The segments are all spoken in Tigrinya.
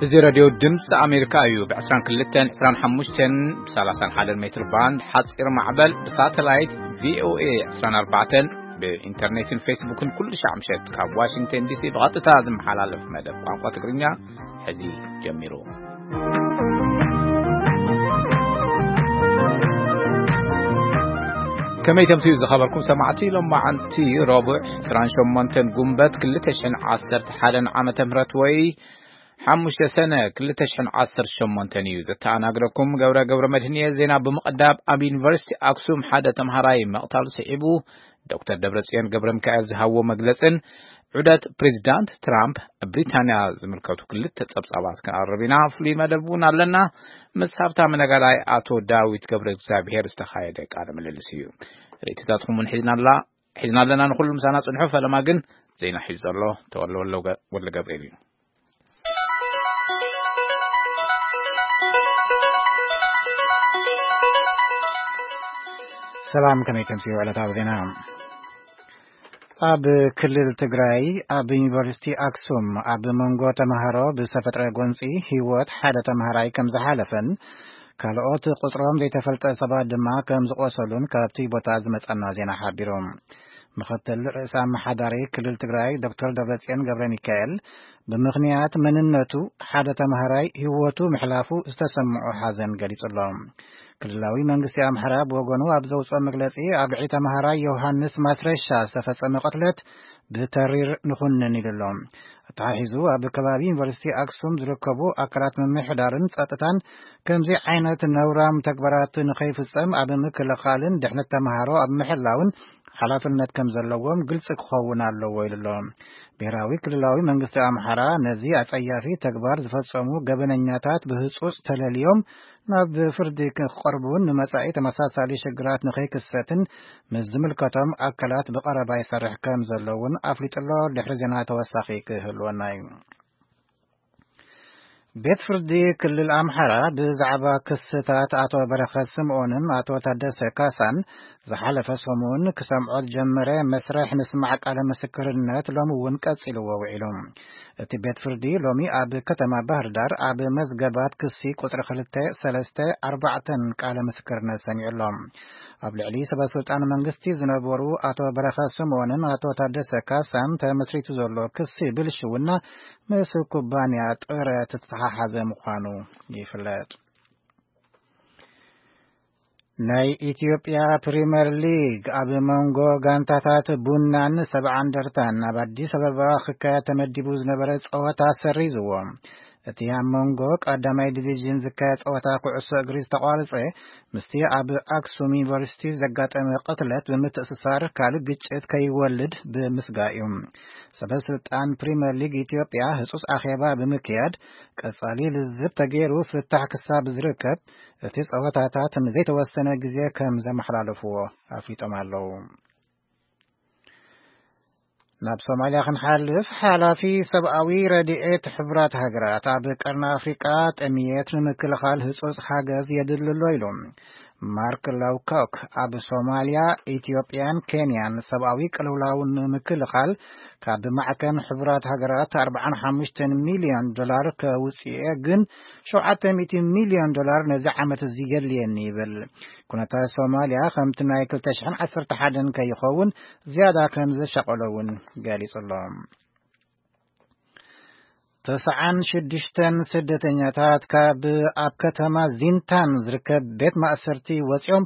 እዚ ሬድዮ ድምፂ ኣሜሪካ እዩ። ብ22፣ 25፣ ብ31 ሜትር ባንድ ሓፂር ማዕበል፣ ብሳተላይት ቪ ኦ ኤ 24፣ ብኢንተርኔትን ፌስቡክን ኩሉ ሻዕ ምሸት ካብ ዋሽንግተን ዲሲ ብቐጥታ ዝመሓላለፍ መደብ ቋንቋ ትግርኛ ሕዚ ጀሚሩ። ከመይ ተምስዩ ዝኸበርኩም ሰማዕቲ፣ ሎማዓንቲ ረቡዕ 28 ጉንበት 2011 ዓመተ ምህረት ወይ ሓሙሽተ ሰነ 2018 እዩ። ዘተኣናግረኩም ገብረ ገብረ መድህን እየ። ዜና ብምቕዳብ፣ ኣብ ዩኒቨርሲቲ ኣክሱም ሓደ ተምሃራይ ምቕታል ስዒቡ ዶክተር ደብረጽዮን ገብረ ሚካኤል ዝሃብዎ መግለጽን ዑደት ፕሬዚዳንት ትራምፕ ኣብ ብሪታንያ ዝምልከቱ ክልተ ጸብጻባት ክንኣርብ ኢና። ፍሉይ መደብ እውን ኣለና። ምስ ሃብታም ነጋዳይ ኣቶ ዳዊት ገብረ እግዚኣብሔር ዝተኻየደ ቃለ ምልልስ እዩ። ርእይቶታትኩም እውን ሒዝና ኣላ-፣ ሒዝና ኣለና። ንኹሉ ምሳና ጽንሑ። ፈለማ ግን ዜና ሒዙ ዘሎ ተወልደ ወልደ ገብርኤል እዩ። ሰላም፣ ከመይ ተምስዩ ዕለታዊ ዜና? ኣብ ክልል ትግራይ ኣብ ዩኒቨርሲቲ ኣክሱም ኣብ መንጎ ተምሃሮ ብዝተፈጥረ ጎንፂ ህይወት ሓደ ተምሃራይ ከም ዝሓለፈን ካልኦት ቁፅሮም ዘይተፈልጠ ሰባት ድማ ከም ዝቆሰሉን ካብቲ ቦታ ዝመፀና ዜና ሓቢሩ። ምኽትል ርእሰ ኣመሓዳሪ ክልል ትግራይ ዶክተር ደብረጽዮን ገብረ ሚካኤል ብምኽንያት መንነቱ ሓደ ተምሃራይ ህይወቱ ምሕላፉ ዝተሰምዖ ሓዘን ገሊጹ ኣሎ። ክልላዊ መንግስቲ ኣምሓራ ብወገኑ ኣብ ዘውፅኦ መግለጺ ኣብ ልዕሊ ተምሃራይ ዮሃንስ ማስረሻ ዝተፈጸመ ቅትለት ብተሪር ንኹንን ኢሉ ኣሎ። ኣተሓሒዙ ኣብ ከባቢ ዩኒቨርሲቲ ኣክሱም ዝርከቡ ኣካላት ምምሕዳርን ጸጥታን ከምዚ ዓይነት ነውራም ተግባራት ንኸይፍጸም ኣብ ምክልኻልን ድሕነት ተምሃሮ ኣብ ምሕላውን ሓላፍነት ከም ዘለዎም ግልጺ ክኸውን ኣለዎ ኢሉ ኣሎ። ብሔራዊ ክልላዊ መንግስቲ ኣምሓራ ነዚ ኣጸያፊ ተግባር ዝፈጸሙ ገበነኛታት ብህጹጽ ተለልዮም ናብ ፍርዲ ክቐርቡን ንመጻኢ ተመሳሳሊ ሽግራት ንኸይክሰትን ምስ ዝምልከቶም ኣካላት ብቐረባ ይሰርሕ ከም ዘሎ እውን ኣፍሊጡ ኣሎ። ድሕሪ ዜና ተወሳኺ ክህልወና እዩ። ቤት ፍርዲ ክልል ኣምሓራ ብዛዕባ ክስታት ኣቶ በረኸት ስምኦንን ኣቶ ታደሰ ካሳን ዝሓለፈ ሰሙን ክሰምዖ ዝጀመረ መስርሕ ምስማዕ ቃለ ምስክርነት ሎሚ እውን ቀጺልዎ ውዒሉ። እቲ ቤት ፍርዲ ሎሚ ኣብ ከተማ ባህር ዳር ኣብ መዝገባት ክሲ ቁጽሪ ክልተ፣ ሰለስተ፣ ኣርባዕተን ቃለ ምስክርነት ሰሚዑ ኣሎ። ኣብ ልዕሊ ሰበ ስልጣን መንግስቲ ዝነበሩ ኣቶ በረኸት ስምኦንን ኣቶ ታደሰ ካሳን ተመስሪቱ ዘሎ ክሲ ብልሽውና ምስ ኩባንያ ጥረት ዝተሓሓዘ ምዃኑ ይፍለጥ። ናይ ኢትዮጵያ ፕሪምየር ሊግ ኣብ መንጎ ጋንታታት ቡናን ሰብዓ እንደርታን ኣብ ኣዲስ ኣበባ ክካየድ ተመዲቡ ዝነበረ ጸወታ ሰሪዝዎ። እቲ ኣብ መንጎ ቀዳማይ ዲቪዥን ዝካየድ ጸወታ ኩዕሶ እግሪ ዝተቋረጸ ምስቲ ኣብ ኣክሱም ዩኒቨርሲቲ ዘጋጠመ ቅትለት ብምትእስሳር ካልእ ግጭት ከይወልድ ብምስጋእ እዩ። ሰበ ስልጣን ፕሪምየር ሊግ ኢትዮጵያ ህጹጽ ኣኼባ ብምክያድ ቀጻሊ ልዝብ ተገይሩ ፍታሕ ክሳብ ዝርከብ እቲ ጸወታታት ንዘይተወሰነ ግዜ ከም ዘመሓላለፍዎ ኣፍሊጦም ኣለዉ። ናብ ሶማልያ ክንሓልፍ፣ ሓላፊ ሰብኣዊ ረድኤት ሕቡራት ሃገራት ኣብ ቀርኒ ኣፍሪቃ ጥምየት ንምክልኻል ህጹጽ ሓገዝ የድሊ ኣሎ ኢሉ። ማርክ ላውኮክ ኣብ ሶማልያ፣ ኢትዮጵያን ኬንያን ሰብኣዊ ቅልውላው ንምክልኻል ካብ ማዕከን ሕቡራት ሃገራት 45 ሚልዮን ዶላር ከውጽኤ፣ ግን 700 ሚልዮን ዶላር ነዚ ዓመት እዚ የድልየኒ ይብል። ኩነታት ሶማልያ ከምቲ ናይ 2011 ከይኸውን ዝያዳ ከም ዘሻቐሎ እውን ገሊጹ ኣሎ። ተስዓን ሽዱሽተን ስደተኛታት ካብ ኣብ ከተማ ዚንታን ዝርከብ ቤት ማእሰርቲ ወጺኦም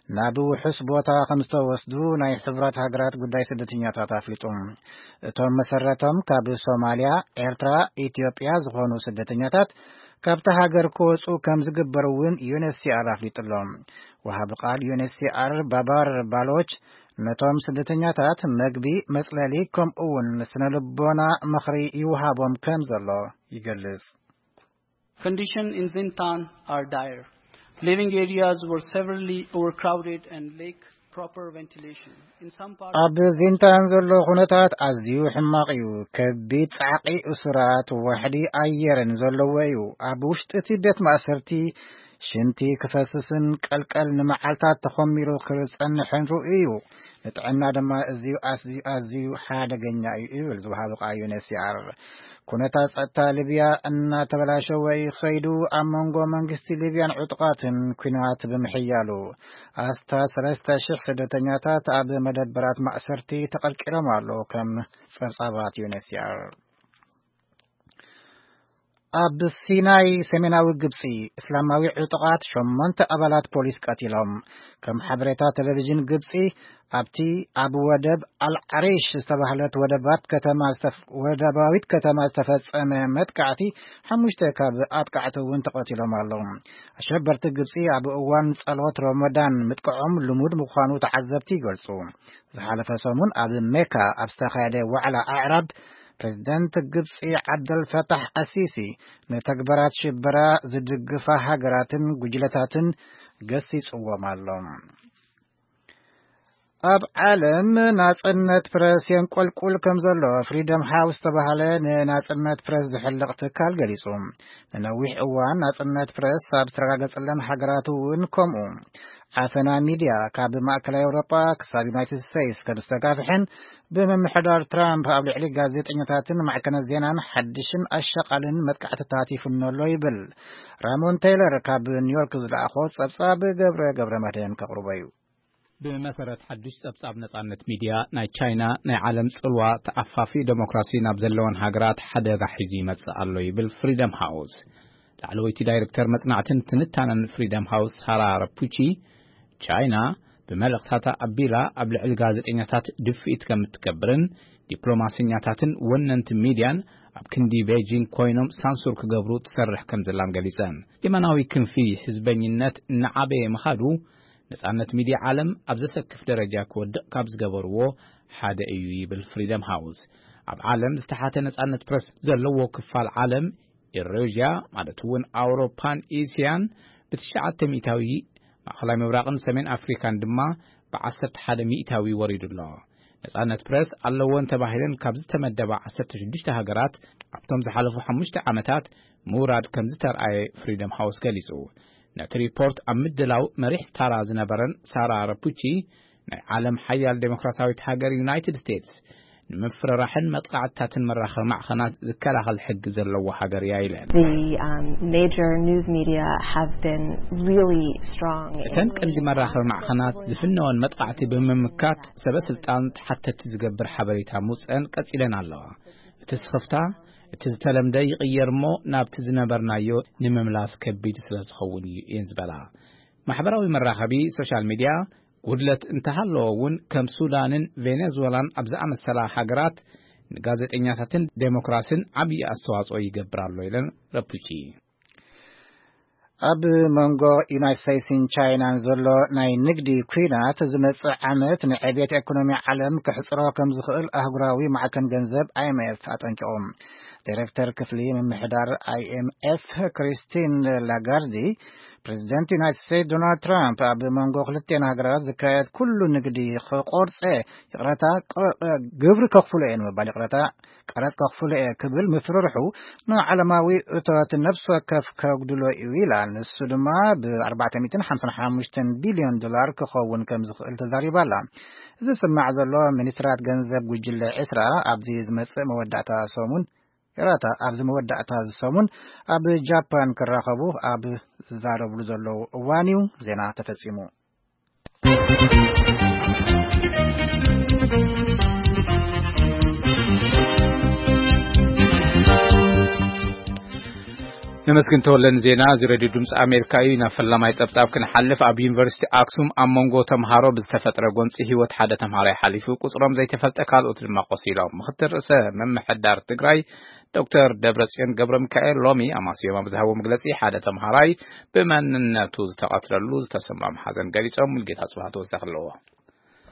ናብ ውሑስ ቦታ ከም ዝተወስዱ ናይ ሕቡራት ሃገራት ጉዳይ ስደተኛታት ኣፍሊጡ። እቶም መሰረቶም ካብ ሶማልያ፣ ኤርትራ፣ ኢትዮጵያ ዝኾኑ ስደተኛታት ካብታ ሃገር ክወጹ ከም ዝግበር እውን ዩ ኤን ኤች ሲ ኣር ኣፍሊጡ ኣሎ። ወሃቢ ቃል ዩ ኤን ኤች ሲ ኣር ባባር ባሎች ነቶም ስደተኛታት መግቢ፣ መጽለሊ፣ ከምኡ እውን ስነ ልቦና ምኽሪ ይወሃቦም ከም ዘሎ ይገልጽ። Condition in Zintan are dire. Living areas were severely overcrowded and lack proper ventilation. In some parts ኣብ ዚንታን ዘሎ ኩነታት ኣዝዩ ሕማቕ እዩ። ከቢድ ጻዕቂ እሱራት ዋሕዲ ኣየርን ዘለዎ እዩ። ኣብ ውሽጢ እቲ ቤት ማእሰርቲ ሽንቲ ክፈስስን ቀልቀል ንመዓልታት ተኾሚሩ ክጸንሕን ርኡይ እዩ። ንጥዕና ድማ እዝዩ ኣዝዩ፣ ኣዝዩ ሓደገኛ እዩ ይብል ዝወሃቡ ቃል ዩ ኤን ኤች ሲ ኣር። ኩነታት ጸጥታ ሊብያ እናተበላሸወ እዩ ኸይዱ። ኣብ መንጎ መንግስቲ ሊብያን ዕጡቓትን ኲናት ብምሕያሉ፣ ኣስታት ሰለስተ ሽሕ ስደተኛታት ኣብ መደበራት ማእሰርቲ ተቐርቂሮም ኣለዉ፣ ከም ጸብጻባት ዩ ኤን ኤች ሲ ኣር። ኣብ ሲናይ ሰሜናዊ ግብጺ፣ እስላማዊ ዕጡቓት ሸሞንተ ኣባላት ፖሊስ ቀቲሎም። ከም ሓበሬታ ቴሌቪዥን ግብጺ፣ ኣብቲ ኣብ ወደብ ኣልዓሪሽ ዝተባህለት ወደባት ከተማ ዝተፍ-፣ ወደባዊት ከተማ ዝተፈጸመ መጥቃዕቲ፣ ሓሙሽተ ካብ ኣጥቃዕቲ እውን ተቐቲሎም ኣለዉ። ኣሸበርቲ ግብጺ ኣብ እዋን ጸሎት ረመዳን ምጥቃዖም ልሙድ ምዃኑ ተዓዘብቲ ይገልጹ። ዝሓለፈ ሰሙን ኣብ ሜካ ኣብ ዝተኻየደ ዋዕላ ኣዕራብ፣ ፕሬዝደንት ግብጺ ዓብደል ፈታሕ ኣሲሲ፣ ንተግባራት ሽበራ ዝድግፋ ሃገራትን ጉጅለታትን ገሲጽዎም ኣሎ። ኣብ ዓለም ናጽነት ፕረስ የንቆልቁል ከም ዘሎ፣ ፍሪደም ሃውስ ዝተባህለ ንናጽነት ፕረስ ዝሕልቕ ትካል ገሊጹ። ንነዊሕ እዋን ናጽነት ፕረስ ኣብ ዝተረጋገጸለን ሃገራት እውን ከምኡ። ዓፈና ሚድያ፣ ካብ ማእከላይ ኤውሮጳ ክሳብ ዩናይትድ ስቴትስ ከም ዝተጋፍሐን፣ ብምምሕዳር ትራምፕ ኣብ ልዕሊ ጋዜጠኛታትን ማዕከናት ዜናን ሓድሽን ኣሻቓልን መጥቃዕትታት ይፍኖ ኣሎ ይብል። ራሞን ቴይለር ካብ ኒውዮርክ ዝለኣኾ ጸብጻብ ገብረ ገብረ መድህን ከቕርቦ እዩ። ብመሰረት ሓድሽ ጸብጻብ ነጻነት ሚድያ፣ ናይ ቻይና ናይ ዓለም ጽልዋ ተኣፋፊ ዴሞክራሲ ናብ ዘለወን ሃገራት ሓደጋ ሒዙ ይመጽእ ኣሎ ይብል ፍሪደም ሃውስ። ላዕለወይቲ ዳይሬክተር መጽናዕትን ትንታነን ፍሪደም ሃውስ ሳራ ረፑቺ፣ ቻይና ብመልእኽታታ ኣቢላ ኣብ ልዕሊ ጋዜጠኛታት ድፍኢት ከም እትገብርን ዲፕሎማሰኛታትን ወነንቲ ሚድያን ኣብ ክንዲ ቤጂንግ ኮይኖም ሳንሱር ክገብሩ ትሰርሕ ከም ዘላን ገሊጸን። የማናዊ ክንፊ ህዝበኝነት እናዓበየ ምኻዱ፣ ነጻነት ሚድያ ዓለም ኣብ ዘሰክፍ ደረጃ ክወድቕ ካብ ዝገበርዎ ሓደ እዩ ይብል ፍሪደም ሃውስ። ኣብ ዓለም ዝተሓተ ነጻነት ፕረስ ዘለዎ ክፋል ዓለም፣ ኤውሬዥያ ማለት እውን ኣውሮፓን ኤስያን፣ ብትሽዓተ ሚእታዊ፣ ማእኸላይ ምብራቕን ሰሜን ኣፍሪካን ድማ ብዓሰርተ ሓደ ሚእታዊ ወሪዱ ኣሎ። ነጻነት ፕረስ ኣለወን ተባሂለን ካብ ዝተመደባ ዓሰርተ ሽዱሽተ ሃገራት ኣብቶም ዝሓለፉ ሓሙሽተ ዓመታት ምውራድ ከም ዝተርኣየ ፍሪደም ሃውስ ገሊጹ። ነቲ ሪፖርት ኣብ ምድላው መሪሕ ታራ ዝነበረን ሳራ ረፑቺ፣ ናይ ዓለም ሓያል ዴሞክራሲያዊት ሃገር ዩናይትድ ስቴትስ ንምፍርራሕን መጥቃዕትታትን መራኸቢ ማዕኸናት ዝከላኸል ሕጊ ዘለዎ ሃገር እያ ኢለን። The, um, major news media have been really strong in እተን ቀንዲ መራኸቢ ማዕኸናት ዝፍነወን መጥቃዕቲ ብምምካት፣ ሰበ ስልጣን ተሓተቲ ዝገብር ሓበሬታ ምውፀን ቀፂለን ኣለዋ። እቲ ስኽፍታ፣ እቲ ዝተለምደ ይቕየር እሞ ናብቲ ዝነበርናዮ ንምምላስ ከቢድ ስለ ዝኸውን እዩ እየን ዝበላ። ማሕበራዊ መራኸቢ፣ ሶሻል ሚድያ፣ ጉድለት እንተሃለዎ እውን፣ ከም ሱዳንን ቬኔዙዌላን ኣብ ዝኣመሰላ ሃገራት ንጋዜጠኛታትን ዴሞክራስን ዓብዪ ኣስተዋፅኦ ይገብር ኣሎ ኢለን ረፑቺ። ኣብ መንጎ ዩናይትድ ስቴትስን ቻይናን ዘሎ ናይ ንግዲ ኲናት፣ ዝመጽእ ዓመት ንዕብየት ኤኮኖሚ ዓለም ክሕጽሮ ከም ዝኽእል ኣህጉራዊ ማዕከን ገንዘብ ኣይ ኤም ኤፍ ኣጠንቂቑ። ዳይሬክተር ክፍሊ ምምሕዳር ኣይ ኤም ኤፍ ክሪስቲን ላጋርዲ፣ ፕሬዚደንት ዩናይትድ ስቴትስ ዶናልድ ትራምፕ ኣብ መንጎ ክልቲኤን ሃገራት ዝካየድ ኩሉ ንግዲ ክቆርጸ፣ ይቕረታ፣ ቅ-፣ ግብሪ ከኽፍሎ እየ ንምባል፣ ይቕረታ፣ ቀረጽ ከኽፍሎ እየ ክብል ምፍርርሑ፣ ንዓለማዊ እቶት ነፍሲ ወከፍ ከጉድሎ እዩ ኢላ። ንሱ ድማ ብ ኣርባዕተ ሚእትን ሓምሳን ሓሙሽተን ቢልዮን ዶላር ክኸውን ከም ዝኽእል ተዛሪባ ኣላ። እዚ ዝስማዕ ዘሎ፣ ሚኒስትራት ገንዘብ ጉጅለ ዕስራ ኣብዚ ዝመጽእ መወዳእታ ሰሙን፣ ይቕረታ፣ ኣብዚ መወዳእታ እዚ ሰሙን ኣብ ጃፓን ክራኸቡ ኣብ ዝዛረብሉ ዘለዉ እዋን እዩ። ዜና ተፈጺሙ። ነመስግን ተወለ ንዜና። እዚ ሬድዮ ድምፂ ኣሜሪካ እዩ። ናብ ፈላማይ ፀብፃብ ክንሓልፍ፣ ኣብ ዩኒቨርሲቲ ኣክሱም ኣብ መንጎ ተምሃሮ ብዝተፈጥረ ጎንፂ ህይወት ሓደ ተምሃራይ ሓሊፉ፣ ቁፅሮም ዘይተፈልጠ ካልኦት ድማ ቆሲሎም። ምክትል ርእሰ ምምሕዳር ትግራይ ዶክተር ደብረፅዮን ገብረ ሚካኤል ሎሚ ኣማስዮም ኣብ ዝሃቦ መግለፂ፣ ሓደ ተምሃራይ ብመንነቱ ዝተቐትለሉ ዝተሰምዖም ሓዘን ገሊፆም። ሙልጌታ ፅባህ ተወሳኺ ኣለዎ።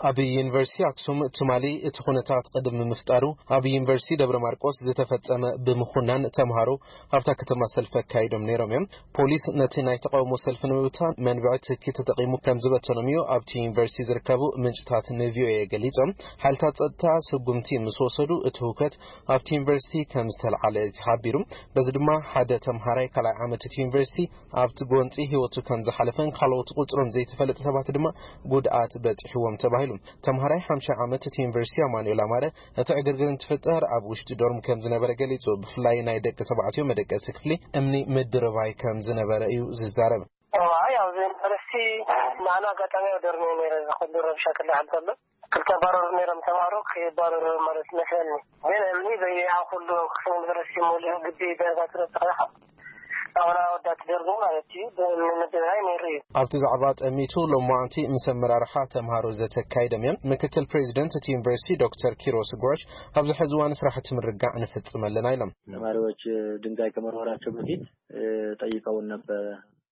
ኣብ ዩኒቨርሲቲ ኣክሱም ትማሊ እቲ ኩነታት ቅድሚ ምፍጣሩ፣ ኣብ ዩኒቨርሲቲ ደብረ ማርቆስ ዝተፈጸመ ብምኹናን ተምሃሮ ኣብታ ከተማ ሰልፊ ኣካይዶም ነይሮም እዮም። ፖሊስ ነቲ ናይ ተቃውሞ ሰልፊ ንምብታን መንብዒ ትኪ ተጠቂሙ ከም ዝበተኖም እዩ ኣብቲ ዩኒቨርሲቲ ዝርከቡ ምንጭታት ንቪኦኤ ገሊጾም። ሓይልታት ጸጥታ ስጉምቲ ምስ ወሰዱ እቲ ህውከት ኣብቲ ዩኒቨርሲቲ ከም ዝተልዓለ እዩ ተሓቢሩ። በዚ ድማ ሓደ ተምሃራይ ካልኣይ ዓመት እቲ ዩኒቨርሲቲ ኣብቲ ጎንጺ ህይወቱ ከም ዝሓለፈን ካልኦት ቁጽሮም ዘይተፈለጠ ሰባት ድማ ጉድኣት በጺሕዎም ተባሂሉ። ኢሉ። ተምሃራይ ሓምሻይ ዓመት እቲ ዩኒቨርሲቲ ኣማኑኤል ኣማረ፣ እቲ ዕግርግር እንትፍጠር ኣብ ውሽጢ ዶርም ከም ዝነበረ ገሊጹ። ብፍላይ ናይ ደቂ ተባዕትዮ መደቀሲ ክፍሊ እምኒ ምድርባይ ከም ዝነበረ እዩ ዝዛረብ። ኣይ ኣብዚ ዩኒቨርሲቲ ንዓና ኣጋጣሚ ኣብ ዶርም እዩ ነይረ። እዚ ኩሉ ረብሻ ክልዓል ከሎ ክልተ ባረሩ ነይሮም ተማሃሮ። ክባረሩ ማለት መስለኒ። ግን እምኒ በየኣ ኩሉ ክፍሊ ዩኒቨርሲቲ ሙሉእ ግቢ ደርባ ትረብካ ኢኻ። ኣሁን ኣወዳት ደርቡ ማለት እዩ። ብምድራይ ነይሩ እዩ። ኣብቲ ዛዕባ ጠሚቱ ሎማዓንቲ ምስ ኣመራርሓ ተምሃሮ ዘተካይዶም እዮም። ምክትል ፕሬዚደንት እቲ ዩኒቨርሲቲ ዶክተር ኪሮስ ጎሽ፣ ኣብዚ ሕዚ እዋን ስራሕቲ ምርጋዕ ንፍጽም ኣለና ኢሎም። ተማሪዎች ድንጋይ ከመወርወራቸው በፊት ጠይቀውን ነበረ።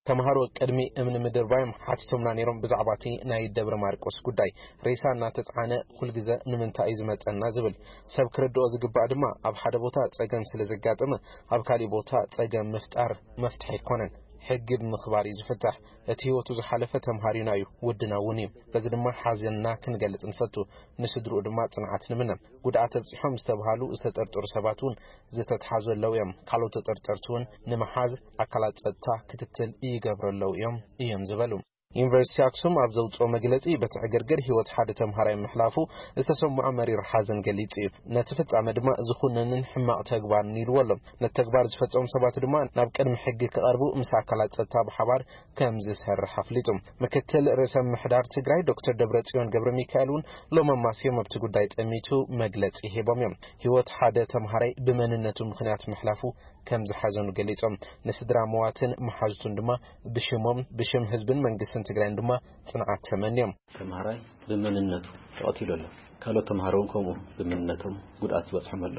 ተምሃሮ ቅድሚ እምኒ ምድርባዮም ሓቲቶምና ነይሮም ብዛዕባ እቲ ናይ ደብረ ማርቆስ ጉዳይ። ሬሳ እናተጽዓነ ኩልግዘ ንምንታይ እዩ ዝመጸና ዝብል። ሰብ ክርድኦ ዝግባእ ድማ ኣብ ሓደ ቦታ ጸገም ስለ ዘጋጠመ ኣብ ካሊእ ቦታ ጸገም ምፍጣር መፍትሒ ኣይኮነን። ሕጊ ብምኽባር እዩ ዝፍታሕ። እቲ ህይወቱ ዝሓለፈ ተምሃሪና እዩ፣ ወድና እውን እዩ። በዚ ድማ ሓዘንና ክንገልጽ ንፈቱ። ንስድርኡ ድማ ጽንዓት ንምነ። ጉድኣት ኣብጺሖም ዝተብሃሉ ዝተጠርጠሩ ሰባት እውን ዝተትሓዙ ኣለዉ እዮም። ካልኦት ተጠርጠርቲ እውን ንምሓዝ ኣካላት ጸጥታ ክትትል ይገብሩ ኣለዉ እዮም እዮም ዝበሉ። ዩኒቨርሲቲ ኣክሱም ኣብ ዘውፅኦ መግለፂ በቲ ዕግርግር ህይወት ሓደ ተምሃራይ ምሕላፉ ዝተሰምዖ መሪር ሓዘን ገሊፁ እዩ። ነቲ ፍፃመ ድማ ዝኹነንን ሕማቕ ተግባርን ኢልዎ ኣሎ። ነቲ ተግባር ዝፈፀሙ ሰባት ድማ ናብ ቅድሚ ሕጊ ክቐርቡ ምስ ኣካላት ፀጥታ ብሓባር ከም ዝሰርሕ ኣፍሊጡ። ምክትል ርእሰ ምምሕዳር ትግራይ ዶክተር ደብረፅዮን ገብረ ሚካኤል እውን ሎም ኣማስዮም ኣብቲ ጉዳይ ጠሚቱ መግለፂ ሂቦም እዮም። ህይወት ሓደ ተምሃራይ ብመንነቱ ምኽንያት ምሕላፉ ከም ዝሓዘኑ ገሊፆም። ንስድራ መዋትን መሓዙቱን ድማ ብሽሞም ብሽም ህዝብን መንግስትን ትግራይን ድማ ፅንዓት ተመንዮም። ተምሃራይ ብመንነቱ ተቐቲሉ ኣሎ። ካልኦት ተምሃሮ እውን ከምኡ ብመንነቶም ጉድኣት ዝበፅሖም ኣሎ።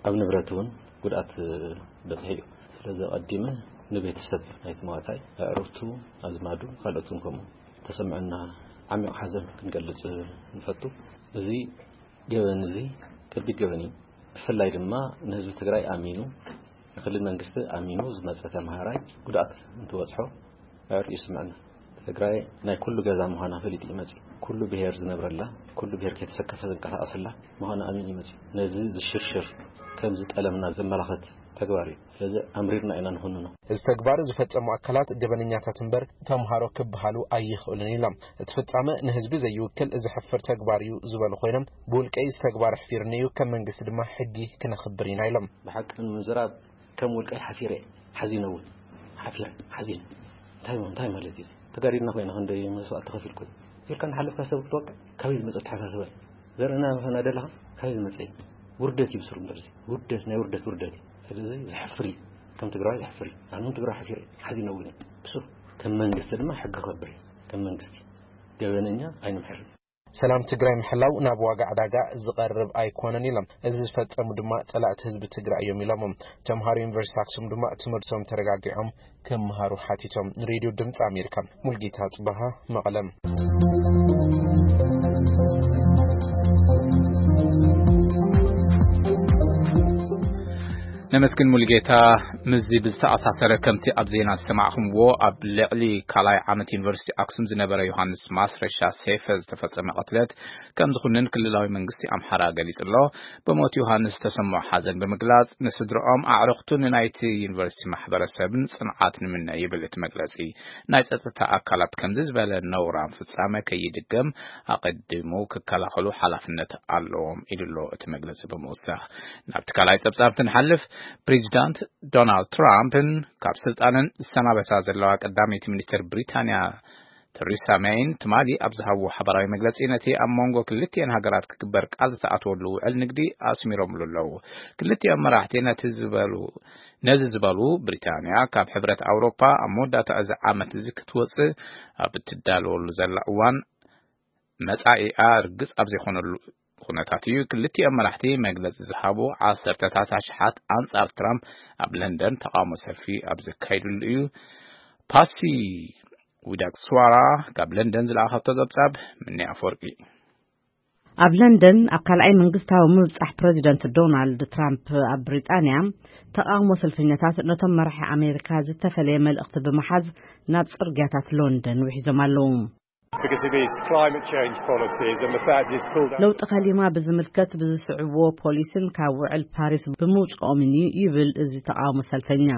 ኣብ ንብረት እውን ጉድኣት በፅሒ እዩ። ስለዚ ኣቐዲመ ንቤተሰብ ናይቲ መዋታይ፣ ኣዕሩኽቱ፣ ኣዝማዱ፣ ካልኦትን ከምኡ ተሰምዐና ዓሚቕ ሓዘን ክንገልጽ ንፈቱ። እዚ ገበን እዚ ከቢድ ገበን እዩ። ብፍላይ ድማ ንህዝቢ ትግራይ ኣሚኑ፣ ንክልል መንግስቲ ኣሚኑ ዝመጸ ተምሃራይ ጉድኣት እንትበጽሖ ኣዕሩኽ እዩ ዝስምዐና። ትግራይ ናይ ኩሉ ገዛ ምዃና ፈሊጡ እዩ መጺኡ። ኩሉ ብሄር ዝነብረላ፣ ኩሉ ብሄር ከይተሰከፈ ዝንቀሳቐሰላ ምዃና ኣሚኑ እዩ መጺኡ። ነዚ ዝሽርሽር ከም ዝጠለምና ዘመላኽት ተግባር እዩ። ስለዚ ኣምሪርና ኢና ንኹንኖ። እዚ ተግባር ዝፈጸሙ ኣካላት ገበነኛታት እምበር ተምሃሮ ክበሃሉ ኣይኽእሉን ኢሎም። እቲ ፍጻመ ንህዝቢ ዘይውክል ዘሕፍር ተግባር እዩ ዝበሉ ኮይኖም፣ ብውልቀይ እዚ ተግባር ኣሕፊርኒ እዩ፣ ከም መንግስቲ ድማ ሕጊ ክነኽብር ኢና ኢሎም። ብሓቂ ንምዝራብ ከም ውልቀይ ሓፊረ እየ፣ ሓዚነ እውን ሓፊረ ሓዚነ። እንታይ እንታይ ማለት እዩ? ተጋዲልና ኮይና ክንደይ መስዋእቲ ከፊልኩ ኢልካ እናሓለፍካ ሰብ ክትወቅዕ ካበይ ዝመፀ ኣተሓሳስባ እዩ? ዘርእና ከናደለኻ ካበይ ዝመፀ እዩ? ውርደት እዩ ብስሩ እምበር እዚ ውርደት ናይ ውርደት ውርደት እዩ። ስለዚ ዘሕፍር እዩ። ከም ትግራዋይ ዘሕፍር እዩ። ኣነ እውን ትግራዋይ ሓፊረ እየ፣ ሓዚነ እውን እየ ብስሩ። ከም መንግስቲ ድማ ሕጊ ክኸብር እዩ። ከም መንግስቲ ገበነኛ ኣይንምሕርን። ሰላም ትግራይ ምሕላው ናብ ዋጋ ዕዳጋ ዝቐርብ ኣይኮነን ኢሎም። እዚ ዝፈጸሙ ድማ ጸላእቲ ህዝቢ ትግራይ እዮም ኢሎሞም። ተምሃሮ ዩኒቨርሲቲ ኣክሱም ድማ ትምህርቶም ተረጋጊዖም ክምሃሩ ሓቲቶም። ንሬድዮ ድምፂ ኣሜሪካ ሙልጌታ ጽባሃ መቐለም። ነመስግን ሙሉጌታ። ምስዚ ብዝተኣሳሰረ፣ ከምቲ ኣብ ዜና ዝሰማዕኹምዎ፣ ኣብ ልዕሊ ካልኣይ ዓመት ዩኒቨርሲቲ ኣክሱም ዝነበረ ዮሃንስ ማስረሻ ሴፈ ዝተፈጸመ ቅትለት ከም ዝኹንን ክልላዊ መንግስቲ ኣምሓራ ገሊጹ ኣሎ። ብሞት ዮሃንስ ዝተሰምዖ ሓዘን ብምግላጽ፣ ንስድርኦም፣ ኣዕሩኽቱን ንናይቲ ዩኒቨርሲቲ ማሕበረሰብን ጽንዓት ንምነ ይብል እቲ መግለጺ። ናይ ጸጥታ ኣካላት ከምዚ ዝበለ ነውራም ፍጻመ ከይድገም ኣቐዲሙ ክከላኸሉ ሓላፍነት ኣለዎም ኢሉ ኣሎ እቲ መግለጺ ብምውሳኽ። ናብቲ ካልኣይ ጸብጻብ እንትንሓልፍ፣ ፕሬዚዳንት ዶናልድ ትራምፕን ካብ ስልጣነን ዝሰናበታ ዘለዋ ቀዳመይቲ ሚኒስትር ብሪታንያ ተሪሳ ሜይን ትማሊ ኣብ ዝሃብዎ ሓባራዊ መግለጺ፣ ነቲ ኣብ መንጎ ክልቲኤን ሃገራት ክግበር ቃል ዝተኣትወሉ ውዕል ንግዲ ኣስሚሮምሉ ኣለዉ። ክልቲኦም መራሕቲ ነቲ ዝበሉ ነዚ ዝበሉ፣ ብሪታንያ ካብ ሕብረት ኣውሮፓ ኣብ መወዳእታ እዚ ዓመት እዚ ክትወጽእ ኣብ እትዳለወሉ ዘላ እዋን፣ መጻኢኣ ርግጽ ኣብ ዘይኮነሉ ኩነታት እዩ ክልቲኦም መራሕቲ መግለጺ ዝሃቡ። ዓሰርተታት ኣሽሓት ኣንጻር ትራምፕ ኣብ ለንደን ተቓውሞ ሰልፊ ኣብ ዘካይድሉ እዩ። ፓሲ ዊዳክስዋራ ካብ ለንደን ዝለኣኸቶ ጸብጻብ። ምኒ ኣፈወርቂ። ኣብ ለንደን ኣብ ካልኣይ መንግስታዊ ምብጻሕ ፕረዚደንት ዶናልድ ትራምፕ ኣብ ብሪጣንያ፣ ተቓውሞ ሰልፈኛታት ነቶም መራሒ ኣሜሪካ ዝተፈለየ መልእኽቲ ብምሓዝ ናብ ጽርግያታት ሎንደን ውሒዞም ኣለዉ። Because of his climate change policies and the fact he's pulled out. ለውጢ ከሊማ ብዝምልከት ብዝስዕብዎ ፖሊስን ካብ ውዕል ፓሪስ ብምውፅኦምን እዩ ይብል እዚ ተቃውሞ ሰልፈኛ።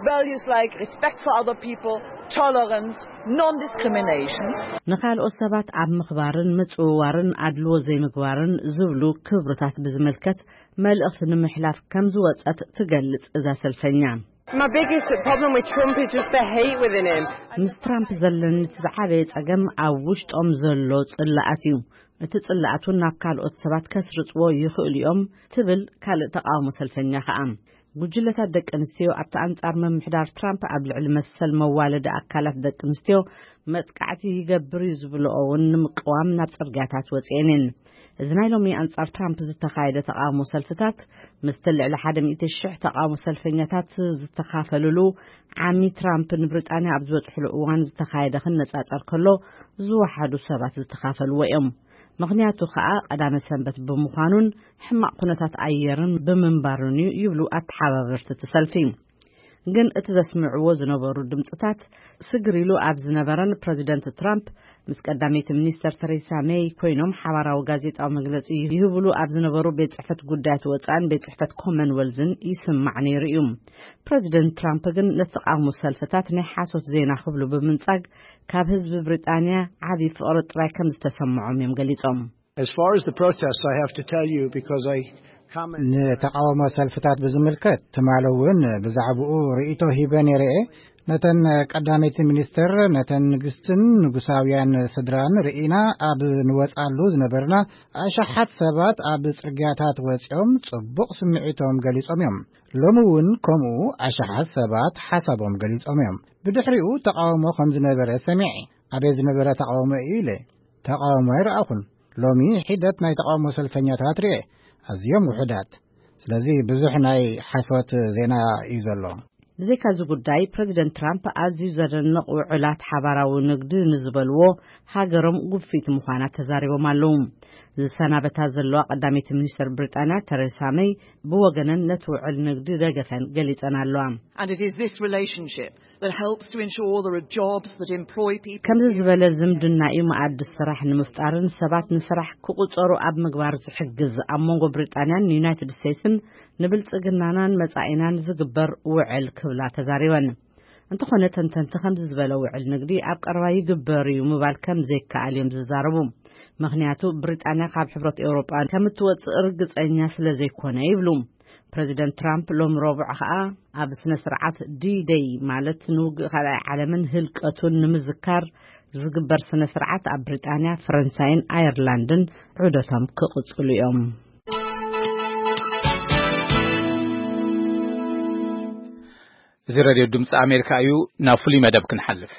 Values like respect for other people, tolerance, non-discrimination. ንካልኦት ሰባት ኣብ ምኽባርን ምጽውዋርን ኣድልዎ ዘይምግባርን ዝብሉ ክብርታት ብዝምልከት መልእኽቲ ንምሕላፍ ከም ዝወጸት ትገልጽ እዛ ሰልፈኛ። My biggest problem with Trump is just the hate within him. ምስ ትራምፕ ዘለኒ እቲ ዝዓበየ ጸገም ኣብ ውሽጦም ዘሎ ጽላኣት እዩ። እቲ ጽላኣት እውን ናብ ካልኦት ሰባት ከስርጽዎ ይኽእሉ እዮም ትብል ካልእ ተቃውሞ ሰልፈኛ ከኣ። ጉጅለታት ደቂ ኣንስትዮ ኣብቲ ኣንጻር ምምሕዳር ትራምፕ ኣብ ልዕሊ መሰል መዋለዲ ኣካላት ደቂ ኣንስትዮ መጥቃዕቲ ይገብር እዩ ዝብልኦ እውን ንምቅዋም ናብ ጽርግያታት ወጺኤን እየን። እዚ ናይ ሎሚ ኣንጻር ትራምፕ ዝተኻየደ ተቃውሞ ሰልፍታት ምስቲ ልዕሊ ሓደ ሚእቲ ሽሕ ተቃውሞ ሰልፈኛታት ዝተኻፈልሉ ዓሚ ትራምፕ ንብሪጣንያ ኣብ ዝበጽሕሉ እዋን ዝተኻየደ ክነጻጸር ከሎ ዝወሓዱ ሰባት ዝተኻፈልዎ እዮም። ምኽንያቱ ከኣ ቀዳመ ሰንበት ብምዃኑን ሕማቕ ኩነታት ኣየርን ብምንባሩን እዩ ይብሉ ኣተሓባበርቲ እቲ ሰልፊ። ግን እቲ ዘስምዕዎ ዝነበሩ ድምፅታት ስግር ኢሉ ኣብ ዝነበረን ፕረዚደንት ትራምፕ ምስ ቀዳመይቲ ሚኒስተር ተሬሳ ሜይ ኮይኖም ሓባራዊ ጋዜጣዊ መግለፂ ይህብሉ ኣብ ዝነበሩ ቤት ጽሕፈት ጉዳያት ወፃእን ቤት ጽሕፈት ኮመንወልዝን ይስማዕ ነይሩ እዩ። ፕረዚደንት ትራምፕ ግን ነቲ ተቃውሞ ሰልፍታት ናይ ሓሶት ዜና ክብሉ ብምንጻግ ካብ ህዝቢ ብሪጣንያ ዓቢ ፍቕሪ ጥራይ ከም ዝተሰምዖም እዮም ገሊጾም። As far as the protests, I have to tell you because I comment. ንተቃውሞ ሰልፍታት ብዝምልከት ትማሊ እውን ብዛዕባኡ ርእይቶ ሂበ ነይረ እየ። ነተን ቀዳመይቲ ሚኒስትር ነተን ንግስትን ንጉሳውያን ስድራን ርኢና ኣብ ንወጻሉ ዝነበርና ኣሽሓት ሰባት ኣብ ጽርግያታት ወጺኦም ጽቡቕ ስምዒቶም ገሊጾም እዮም። ሎሚ እውን ከምኡ ኣሽሓት ሰባት ሓሳቦም ገሊጾም እዮም። ብድሕሪኡ ተቃውሞ ከም ዝነበረ ሰሚዐ። ኣበይ ዝነበረ ተቃውሞ እዩ ኢለ ተቃውሞ ኣይረኣኹን። ሎሚ ሒደት ናይ ተቃውሞ ሰልፈኛታት ርኤ፣ ኣዝዮም ውሑዳት። ስለዚ ብዙሕ ናይ ሓሶት ዜና እዩ ዘሎ። ብዘይካ እዚ ጉዳይ ፕረዚደንት ትራምፕ ኣዝዩ ዘደንቕ ውዕላት ሓባራዊ ንግዲ ንዝበልዎ ሃገሮም ጉፊት ምዃና ተዛሪቦም ኣለዉ። ዝሰናበታ ዘለዋ ቀዳመይቲ ሚኒስተር ብሪጣንያ ተሬሳ መይ ብወገነን ነቲ ውዕል ንግዲ ደገፈን ገሊጸን ኣለዋ። And it is this relationship that helps to ensure there are jobs that employ people. ከምዚ ዝበለ ዝምድና እዩ መኣዲ ስራሕ ንምፍጣርን ሰባት ንስራሕ ክቁጸሩ ኣብ ምግባር ዝሕግዝ ኣብ መንጎ ብሪጣንያን ዩናይትድ ስቴትስን ንብልጽግናናን መጻኢናን ዝግበር ውዕል ክብላ ተዛሪበን። እንተኾነ ተንተንቲ ከምዚ ዝበለ ውዕል ንግዲ ኣብ ቀረባ ይግበር እዩ ምባል ከም ዘይከኣል እዮም ዝዛረቡ። ምኽንያቱ ብሪጣንያ ካብ ሕብረት ኤውሮጳ ከም እትወጽእ ርግጸኛ ስለ ዘይኮነ ይብሉ። ፕረዚደንት ትራምፕ ሎም ረቡዕ ኸኣ ኣብ ስነ ስርዓት ዲ ደይ ማለት ንውግእ ካልኣይ ዓለምን ህልቀቱን ንምዝካር ዝግበር ስነ ስርዓት ኣብ ብሪጣንያ፣ ፈረንሳይን ኣየርላንድን ዑደቶም ክቕጽሉ እዮም። እዚ ሬድዮ ድምፂ ኣሜሪካ እዩ። ናብ ፍሉይ መደብ ክንሓልፍ።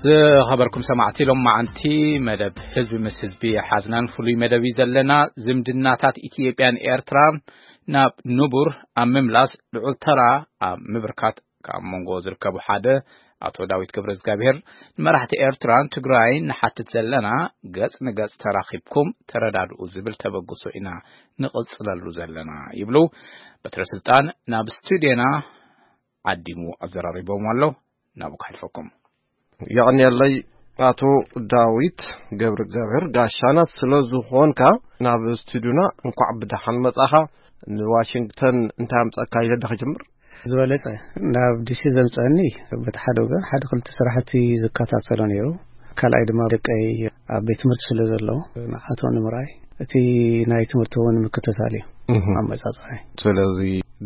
ዝኸበርኩም ሰማዕቲ፣ ሎም መዓንቲ መደብ ህዝቢ ምስ ህዝቢ ሓዝናን ፍሉይ መደብ እዩ ዘለና። ዝምድናታት ኢትዮጵያን ኤርትራን ናብ ንቡር ኣብ ምምላስ ልዑል ተራ ኣብ ምብርካት ካብ መንጎ ዝርከቡ ሓደ ኣቶ ዳዊት ገብረ እግዚኣብሔር ንመራሕቲ ኤርትራን ትግራይን ንሓትት ዘለና፣ ገጽ ንገጽ ተራኺብኩም ተረዳድኡ ዝብል ተበግሶ ኢና ንቕጽለሉ ዘለና ይብሉ። በትረ ስልጣን ናብ ስቱድዮና ዓዲሙ ኣዘራሪቦም ኣሎ። ናብኡ ክሓልፈኩም። የቐንየለይ ኣቶ ዳዊት ገብረ እግዚኣብሔር ጋሻና ስለ ዝኾንካ ናብ ስቱድዮና እንኳዕ ብደሓን መጻኻ። ንዋሽንግተን እንታይ ኣምጻእካ ኢለ ዳኺ ጀምር። ዝበለጸ ናብ ዲሲ ዘምጸኒ በቲ ሓደ ወገን ሓደ ክልተ ስራሕቲ ዝከታተሎ ነይሩ። ካልኣይ ድማ ደቀይ ኣብ ቤት ትምህርቲ ስለ ዘለዉ ንዓቶም ንምርኣይ እቲ ናይ ትምህርቲ እውን ምክትታል እዩ ኣመጻጽኣይ። ስለዚ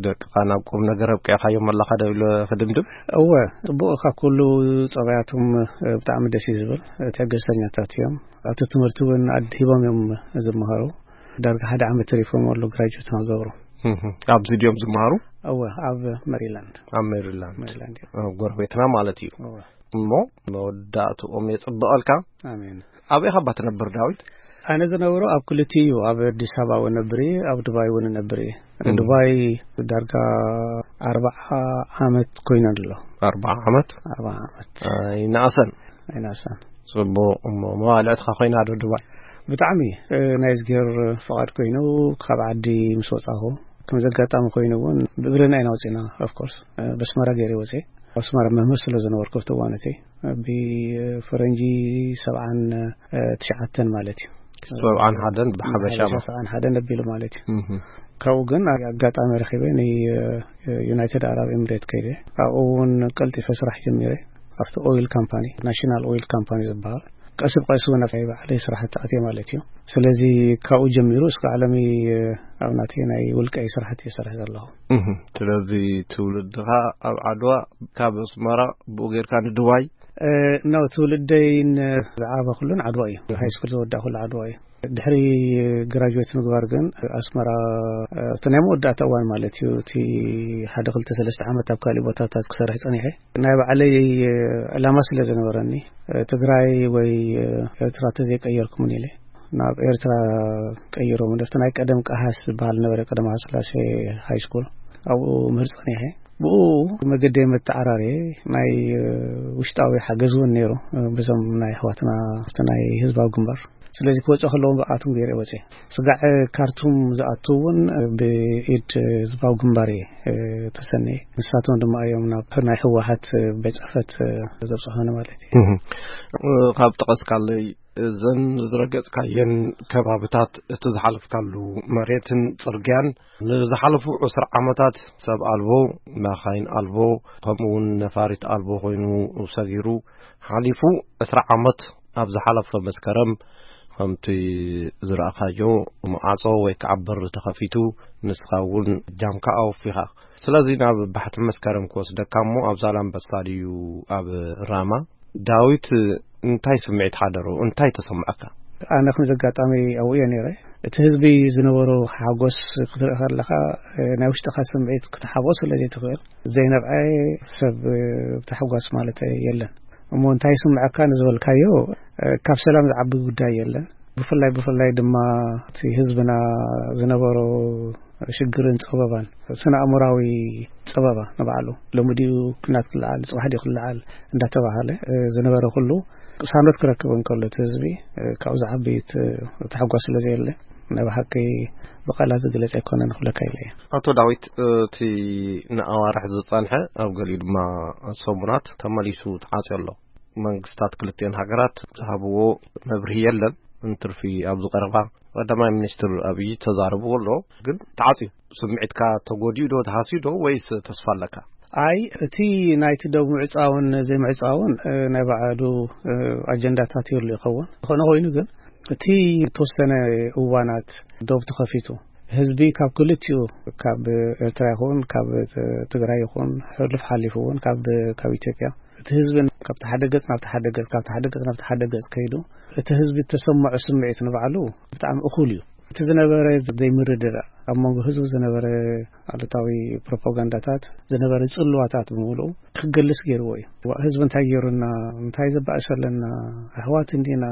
ደቅኻ ናብ ቁም ነገር ኣብቂዕካዮም ኣለኻ ዶ ኢለ ክድምድም? እወ፣ ጽቡቕ፣ ካብ ኩሉ ጸባያቶም ብጣዕሚ ደስ እዩ ዝብል። ትዕግስተኛታት እዮም። ኣብቲ ትምህርቲ እውን ኣድሂቦም እዮም ዝመሃሩ። ዳርጋ ሓደ ዓመት ተሪፎም ኣሎ ግራጁዌት ንክገብሩ። ኣብዚ ድዮም ዝመሃሩ? እወ፣ ኣብ ሜሪላንድ። ኣብ ሜሪላንድ። ሜሪላንድ እዮም። ጎረቤትና ማለት እዩ። እወ። እሞ መወዳእትኦም የጽብቐልካ። ኣሜን። ኣበይ ኻባ ትነብር ዳዊት? ኣነ ዝነብሮ ኣብ ክልቲኡ እዩ፣ ኣብ ኣዲስ ኣበባ እውን እነብር እየ፣ ኣብ ዱባይ እውን እነብር እየ። እም። ዱባይ ዳርጋ ኣርብዓ ዓመት ኮይኑ ኣሎ። ኣርብዓ ዓመት? ኣርብዓ ዓመት። ኣይነኣሰን። ኣይነኣሰን። ጽቡቕ። እሞ መዋልዕትኻ ኮይና ዶ ዱባይ? ብጣዕሚ፣ እ፣ ናይ እዝግሄር ፍቓድ ኮይኑ ካብ ዓዲ ምስ ወጻኹ ከም ዘጋጣሚ ኮይኑ እውን ብእግርና ኢና ወፂና። ኦፍኮርስ በስመራ ገይረ ወፂ ኣስመራ መምህር ስለ ዝነበርኩ ኣብቲ እዋን እቲ ብፈረንጂ ሰብዓን ትሽዓተን ማለት እዩ። ሰብዓን ሓደን ብሓበሻ ሰብዓን ሓደን ኣቢሉ ማለት እዩ። ካብኡ ግን ኣጋጣሚ ረኺበ ንዩናይትድ ኣረብ ኤምሬት ከይደ። ኣብኡ እውን ቀልጢፈ ስራሕ ጀሚረ። ኣብቲ ኦይል ካምፓኒ፣ ናሽናል ኦይል ካምፓኒ ዝበሃል፣ ቀስ ብቀስ እውን ኣብ ባዕለይ ስራሕ ተኣትየ ማለት እዩ። ስለዚ ካብኡ ጀሚሩ እስከ ዓለሚ ኣብ ናተይ ናይ ውልቀይ ስራሕቲ ይሰርሕ ዘለኹ። ስለዚ ትውልድኻ ኣብ ዓድዋ፣ ካብ ኣስመራ ብኡ ጌርካ ንድዋይ? ኖ፣ ትውልደይን ዝዓበኹሉን ዓድዋ እዩ። ሃይስኩል ዝወዳእኩሉ ዓድዋ እዩ። ድሕሪ ግራጁዌት ምግባር ግን ኣስመራ፣ እቲ ናይ መወዳእታ እዋን ማለት እዩ፣ እቲ ሓደ ክልተ ሰለስተ ዓመት ኣብ ካሊእ ቦታታት ክሰርሕ ጸኒሐ። ናይ ባዕለይ ዕላማ ስለ ዝነበረኒ፣ ትግራይ ወይ ኤርትራ ተዘይቀየርኩምን ኢለ ናብ ኤርትራ ቀይሮም። እቲ ናይ ቀደም ቀሃስ ዝበሃል ነበረ፣ ቀደም ሃይለስላሴ ሃይስኩል፣ ኣብኡ ምህር ጸኒሐ። ብኡ መገደይ መተዓራርየ። ናይ ውሽጣዊ ሓገዝ እውን ነይሩ፣ ብዞም ናይ ኣሕዋትና ናይ ህዝባዊ ግንባር። ስለዚ ክወፅኦ ከለዎም ብኣቶም ገይረ ወፅየ። ስጋዕ ካርቱም ዝኣቱ እውን ብኢድ ህዝባዊ ግንባር እየ ተሰንየ። ንሳቶም ድማ እዮም ናብ ናይ ህወሓት ቤት ፅሕፈት ዘብፅሑኒ ማለት እዩ። ካብ ጠቐስካለይ፣ እዘን ዝረገጽካየን ከባብታት፣ እቲ ዝሓለፍካሉ መሬትን ጽርግያን፣ ንዝሓለፉ ዕስራ ዓመታት ሰብ ኣልቦ፣ መኻይን ኣልቦ፣ ከምኡ እውን ነፋሪት ኣልቦ ኮይኑ ሰጊሩ ሓሊፉ። ዕስራ ዓመት ኣብ ዝሓለፈ መስከረም ከምቲ ዝረኣኻዮ፣ ማዕጾ ወይ ከዓ በሪ ተኸፊቱ፣ ንስኻ እውን ጃምካ ኣወፊኻ። ስለዚ ናብ ባሕቲ መስከረም ክወስደካ እሞ፣ ኣብ ዛላምበሳ ድዩ ኣብ ራማ? ዳዊት፣ እንታይ ስምዒት ሓደሮ? እንታይ ተሰማዕካ? ኣነ ከም ዘጋጣሚ ኣብኡ እየ ነይረ። እቲ ህዝቢ ዝነበሮ ሓጎስ ክትርኢ ከለኻ፣ ናይ ውሽጥኻ ስምዒት ክትሓብኦ ስለ ዘይትኽእል፣ ዘይነብዐ ሰብ ብታሕጓስ ማለት የለን። እሞ እንታይ ይስምዐካ ንዝበልካዮ፣ ካብ ሰላም ዝዓቢ ጉዳይ የለን። ብፍላይ ብፍላይ ድማ እቲ ህዝብና ዝነበሮ ሽግርን ጸበባን፣ ስነ ኣእምራዊ ጸበባ ንባዕሉ፣ ሎሚ ድዩ ኩናት ክለዓል፣ ጽባሕ ድዩ ክለዓል እንዳተባሃለ ዝነበረ ኩሉ ቅሳኖት ክረክብ እንከሎ፣ እቲ ህዝቢ ካብኡ ዝዓቢ ታሕጓስ ስለ ዘየለ፣ ናይ ብሓቂ ብቃላት ዝግለጽ ኣይኮነን ክብለካ ኢለ እየ። ኣቶ ዳዊት፣ እቲ ንኣዋርሕ ዝጸንሐ፣ ኣብ ገሊኡ ድማ ሰሙናት ተመሊሱ ተዓጽዮ ኣሎ። መንግስታት ክልቲኤን ሃገራት ዝሃብዎ መብርሂ የለን። እንትርፊ ኣብዚ ቀረባ ቀዳማይ ሚኒስትር ኣብይ ተዛረብዎ ኣሎ። ግን ተዓጽዩ፣ ስምዒትካ ተጎዲኡ ዶ፣ ተሃስዩ ዶ፣ ወይስ ተስፋ ኣለካ? ኣይ፣ እቲ ናይቲ ዶብ ምዕጻውን ዘይምዕጻውን ናይ ባዕሉ ኣጀንዳታት ይህሉ ይኸውን። ዝኾነ ኮይኑ ግን፣ እቲ ተወሰነ እዋናት ዶብ ተኸፊቱ፣ ህዝቢ ካብ ክልቲኡ፣ ካብ ኤርትራ ይኹን ካብ ትግራይ ይኹን፣ ሕሉፍ ሓሊፉ እውን ካብ ካብ ኢትዮጵያ፣ እቲ ህዝቢ ካብቲ ሓደ ገጽ ናብቲ ሓደ ገጽ፣ ካብቲ ሓደ ገጽ ናብቲ ሓደ ገጽ ከይዱ፣ እቲ ህዝቢ እተሰምዖ ስምዒት ንባዕሉ ብጣዕሚ እኹል እዩ። እቲ ዝነበረ ዘይምርድዳእ፣ ኣብ መንጎ ህዝቢ ዝነበረ ኣሉታዊ ፕሮፓጋንዳታት፣ ዝነበረ ጽልዋታት ብምሉኡ ክገልጽ ገይርዎ እዩ። ዋ፣ ህዝቢ እንታይ ገይሩና፣ እንታይ ዘባእሰ ኣለና፣ ኣሕዋት እንዲና፣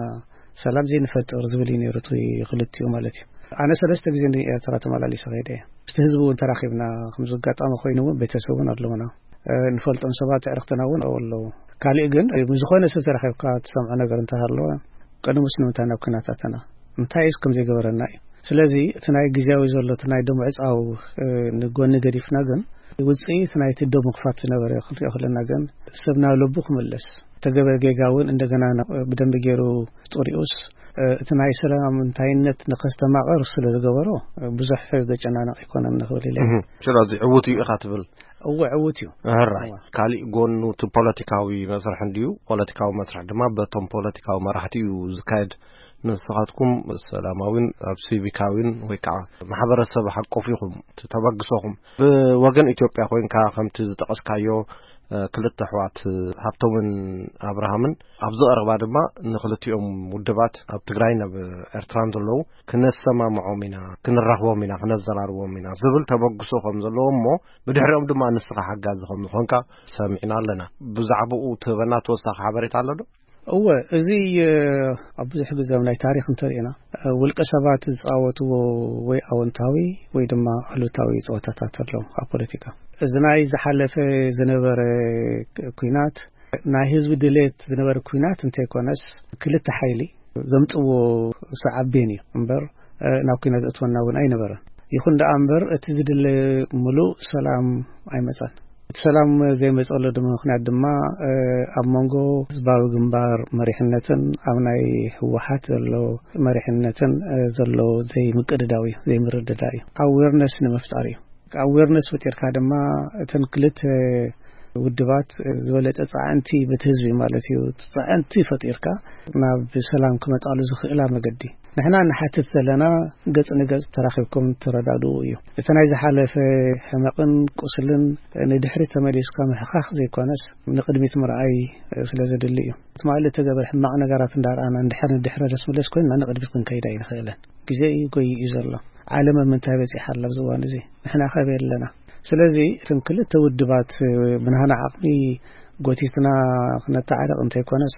ሰላም ዘይንፈጥር ዝብል እዩ ነይሩ እቲ ክልቲኡ ማለት እዩ። ኣነ ሰለስተ ግዜ ንኤርትራ ተመላሊሰ ከይደ እየ። ምስቲ ህዝቢ እውን ተራኺብና፣ ከምዚ ኣጋጣሚ ኮይኑ እውን ቤተሰብ እውን ኣለውና። ንፈልጦም ሰባት ኣዕርኽትና እውን ኣብኡ ኣለዉ። ካሊእ ግን፣ ምስ ዝኾነ ሰብ ተራኺብካ ትሰምዖ ነገር እንተሃለወ፣ ቅድሙስ ንምንታይ ናብ ኲናት ኣተና? እንታይስ ከም ዘይገበረና እዩ። ስለዚ እቲ ናይ ግዝያዊ ዘሎ፣ እቲ ናይ ደም ዕጻው ንጎኒ ገዲፍና ግን፣ ውጽኢት ናይቲ ደም ምኽፋት ዝነበረ ክንሪኦ ከለና ግን፣ ሰብ ናብ ልቡ ክምለስ፣ ተገበ ጌጋ እውን እንደገና ናብ ብደንቢ ገይሩ ጥሪኡስ፣ እቲ ናይ ሰላም እንታይነት ንኸስተማቕር ስለ ዝገበሮ፣ ብዙሕ ዘጨናንቕ ኣይኮነን ንኽብል ኢለ። እህ፣ ስለዚ ዕዉት እዩ ኢኻ ትብል? እወ፣ ዕዉት እዩ። ሕራይ። እወ። ካሊእ ጎኑ እቲ ፖለቲካዊ መስርሕ እንድዩ። ፖለቲካዊ መስርሕ ድማ በቶም ፖለቲካዊ መራሕቲ እዩ ዝካየድ። ንስኻትኩም ሰላማዊን ኣብ ሲቪካዊን ወይ ከዓ ማሕበረሰብ ሓቆፍ ኢኹም እቲ ተበግሶኹም። ብወገን ኢትዮጵያ ኮይንካ ከምቲ ዝጠቐስካዮ፣ እ፣ ክልተ ኣሕዋት፣ እ፣ ሃብቶምን ኣብርሃምን ኣብዚ ቀረባ ድማ ንክልቲኦም ውድባት ኣብ ትግራይን ኣብ ኤርትራን ዘለዉ ክነሰማምዖም ኢና፣ ክንራኽቦም ኢና፣ ክነዘራርቦም ኢና ዝብል ተበግሶ ከም ዘለዎ እሞ ብድሕሪኦም ድማ ንስኻ ሓጋዚ ከም ዝኾንካ ሰሚዕና ኣለና። ብዛዕባኡ ትህበና ተወሳኺ ሓበሬታ ኣሎ ዶ? እወ፣ እዚ፣ እ፣ ኣብ ብዙሕ ግዜ ኣብ ናይ ታሪኽ እንተሪእና፣ እ፣ ውልቀ ሰባት ዝጻወትዎ ወይ ኣወንታዊ ወይ ድማ ኣሉታዊ ጸወታታት ኣሎ ኣብ ፖለቲካ። እዚ ናይ ዝሓለፈ ዝነበረ ክ-፣ ኲናት፣ ናይ ህዝቢ ድሌት ዝነበረ ኲናት እንተይኮነስ፣ ክልተ ሓይሊ ዘምጽዎ ሰዓቤን እዩ እምበር፣ እ፣ ናብ ኲናት ዘእትወና እውን ኣይነበረን። ይኹን ደኣ እምበር፣ እቲ ዝድለ ምሉእ ሰላም ኣይመጻን። እቲ ሰላም ዘይመጸሉ ድማ ምኽንያት ድማ፣ እ፣ ኣብ መንጎ ህዝባዊ ግንባር መሪሕነትን ኣብ ናይ ህወሓት ዘሎ መሪሕነትን፣ እ፣ ዘሎ ዘይምቅድዳው እዩ፣ ዘይምርድዳእ እዩ። ኣዌርነስ ንምፍጣር እዩ። ኣዌርነስ ፈጢርካ ድማ እተን ክልተ ውድባት ዝበለጸ ጻዕንቲ በቲ ህዝቢ ማለት እዩ፣ ጻዕንቲ ፈጢርካ ናብ ሰላም ክመጻሉ ዝኽእላ መገዲ። ንሕና ንሓትት ዘለና ገጽ ንገጽ ተራኺብኩም ተረዳድኡ እዩ። እቲ ናይ ዝሓለፈ ሕመቕን ቁስልን ንድሕሪት ተመሊስካ ምሕኻኽ ዘይኮነስ ንቕድሚት ምርኣይ ስለ ዘድሊ እዩ። ትማሊ እተገበረ ሕማቕ ነገራት እንዳረኣና እንድሕር ንድሕሪ ደስ ምለስ ኮይንና ንቕድሚት ክንከይድ ኣይንኽእልን። ግዜ እዩ ጎይዩ እዩ ዘሎ። ዓለም ኣብ ምንታይ በጺሓ ኣላ ኣብዚ እዋን እዚ? ንሕና ከበይ ኣለና? ስለዚ እተን ክልተ ውድባት ብናህና ዓቕሚ ጎቲትና ክነተዓርቕ እንተይኮነስ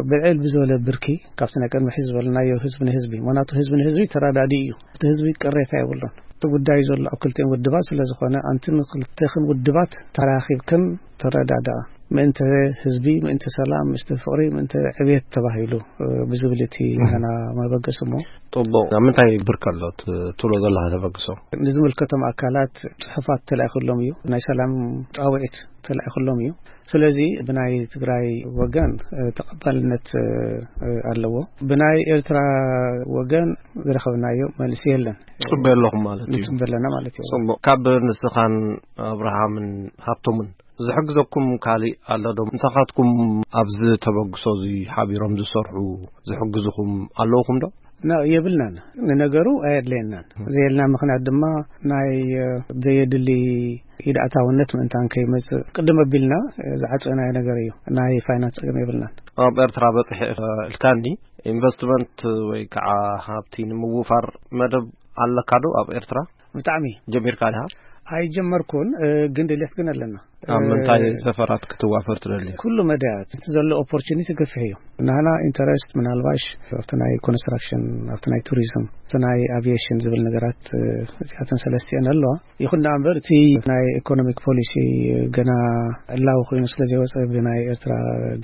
ብልዕል ብዝበለ ብርኪ ካብቲ ናይ ቅድሚ ሕዚ ዝበልናዮ ህዝቢ ንህዝቢ፣ ምኽንያቱ ህዝቢ ንህዝቢ ተረዳዲ እዩ። እቲ ህዝቢ ቅሬታ የብሉን። እቲ ጉዳይ ዘሎ ኣብ ክልቲኦም ውድባት ስለ ዝኾነ ኣንቲ ንክልቴኽን ውድባት ተራኺብክን ተረዳዳ። ምእንተ ህዝቢ፣ ምእንተ ሰላም፣ ምእንተ ፍቕሪ፣ ምእንተ ዕብየት ተባሂሉ፣ እ፣ ብዝብል እቲ ናና መበገሲ እሞ። ጽቡቕ። ኣብ ምንታይ ብርኪ ኣሎ ት-፣ ትብሎ ዘለኻ ተበግሶ? ንዝምልከቶም ኣካላት ጽሑፋት ተላኢኹሎም እዩ። ናይ ሰላም ጻውዒት ተላኢኹሎም እዩ። ስለዚ ብናይ ትግራይ ወገን፣ እ፣ ተቐባልነት፣ እ፣ እ፣ ኣለዎ። ብናይ ኤርትራ ወገን ዝረኸብናዮ መልሲ የለን። ጽበ ኣለኹም ማለት እዩ። ንጽበ ኣለና ማለት እዩ። ጽቡቕ። ካብ ንስኻን ኣብርሃምን ሃብቶምን ዝሕግዘኩም ካልእ ኣሎ ዶ? ንስኻትኩም ኣብዚ ተበግሶ እዚ ሓቢሮም ዝሰርሑ፣ ዝሕግዙኹም ኣለውኹም ዶ? ና-፣ የብልናን። ንነገሩ ኣየድለየናን። ዘየልና ምኽንያት ድማ ናይ፣ እ፣ ዘየድሊ ኢድ ኣታውነት ምእንታን ከይመጽእ ቅድም ኣቢልና፣ እ፣ ዝዓጸናዮ ነገር እዩ። ናይ ፋይናንስ ጸገም የብልናን። ኣብ ኤርትራ በጽሐ ኢልካኒ፣ ኢንቨስትመንት ወይ ከዓ ሃብቲ ንምውፋር መደብ ኣለካ ዶ ኣብ ኤርትራ? ብጣዕሚ። ጀሚርካ ዲኻ? ኣይጀመርኩን፣ እ፣ ግን ድሌት ግን ኣለና። ኣብ እ፣ ምንታይ ዘፈራት ክትዋፈር ትደሊ? ኩሉ መዳያት፣ እቲ ዘሎ ኦፖርቹኒቲ ገፊሕ እዩ። ናህና ኢንተረስት ምናልባሽ ኣብቲ ናይ ኮንስትራክሽን፣ ኣብቲ ናይ ቱሪዝም፣ ኣብቲ ናይ ኣቪዬሽን ዝብል ነገራት፣ እ፣ እዚኣተን ሰለስቲአን ኣለዋ። ይኹን ደኣ እምበር እቲ ናይ ኢኮኖሚክ ፖሊሲ ገና ዕላዊ ኮይኑ ስለ ዘይወጸ ብናይ ኤርትራ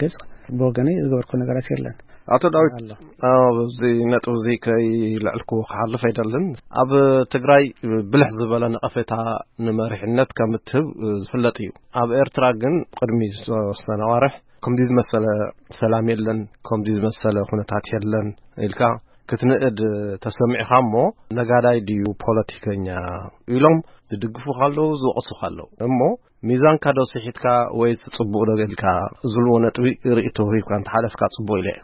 ገጽ ብወገነይ ዝገበርኩ ነገራት የለን። ኣቶ ዳዊት፣ ኣሎ። ኣብ እዚ ነጥቢ እዚ ከይልዕልኩ ክሓልፍ ኣይደልን። ኣብ ትግራይ ብልሕ ዝበለ ነቐፌታ ንመሪሕነት ከም እትህብ ዝፍለጥ እዩ። ኣብ ኤርትራ ግን ቅድሚ ዝተወሰነ ኣዋርሕ ከምዚ ዝመሰለ ሰላም የለን፣ ከምዚ ዝመሰለ ኩነታት የለን ኢልካ ክትንእድ ተሰሚዕካ እሞ ነጋዳይ ድዩ ፖለቲከኛ ኢሎም ዝድግፉኻ ኣለዉ፣ ዝወቕሱኻ ኣለዉ። እሞ ሚዛንካ ዶ ስሒትካ ወይስ ጽቡቕ ዶ ጌርካ ዝብልዎ ነጥቢ ርእይቶ ሂብካ እንተሓለፍካ ጽቡቕ ኢለ እየ።